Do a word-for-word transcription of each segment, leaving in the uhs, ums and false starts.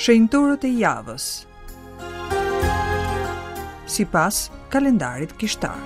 Shenjtorët e javës. Sipas kalendarit kishtar.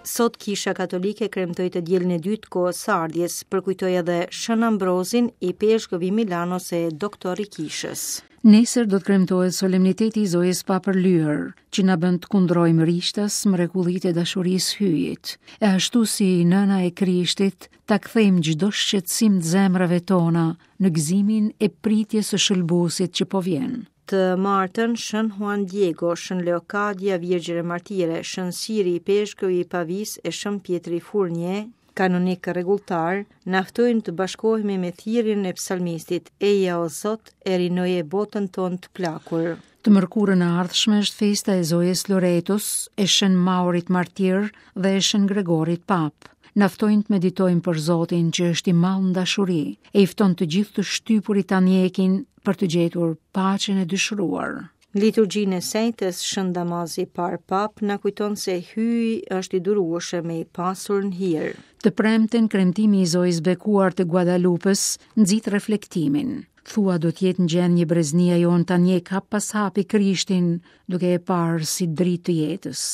Sot Kisha Katolike kremtoi të dielën e dytë kohës së ardhjes, përkujtoi edhe Shën Ambrozin, ipeshkëv i Milanos e doktor i Kishës. Nesër do të kremtohet solemniteti i Zojës Papërlyer, që na bën të kundrojmë rishtas mrekullitë e dashurisë Hyjit. E ashtu si nëna e Krishtit, ta kthejmë çdo shqetësim të zemrave tona në gëzimin e pritjes së shëlbuesit që po vjen. Të martën, Shën Juan Diego, Shën Leokadia, Virgjër e Martire, Shën Siri, ipeshkëv i Pavis e Shën Pjetri Furnie, kanonik rregulltar, na ftojnë të bashkohemi me thirrjen e psalmistit: Eja o Zot, e rinoje botën tonë të plakur. Të mërkurën e ardhshme është festa e Zojës Loretos, e Shën Maurit Martir dhe e Shën Gregorit Pap. Na ftojnë të meditojmë për Zotin që është i madh në dashuri, e i fton të gjithë të shtypurit ta ndjekin për të gjetur paqen e dëshiruar. Në liturgjinë e sejtës, Shën Damazi i parë Pap na kujton se Hyji është i durueshëm e i pasur në hir. Të premten, kremtimi i Zojës Bekuar të Guadalupës nxit reflektimin. Thua do të jetë në gjendje breznia jonë ta ndjek hap pas hapi Krishtin, duke e parë si dritë të jetës.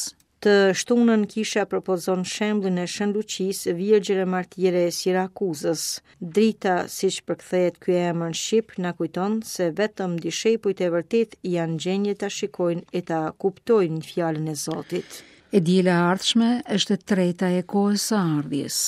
Të shtunën kisha propozon shembullin e Shën Luqisë, Virgjër e Martire e Sirakuzës. Drita, siç përkthehet ky emër në shqip, na kujton se vetëm dishepujt e vërtet janë gjendje ta shikojnë e ta kuptojnë fjalën e Zotit. E diela e ardhshme është e treta e kohës së ardhjes.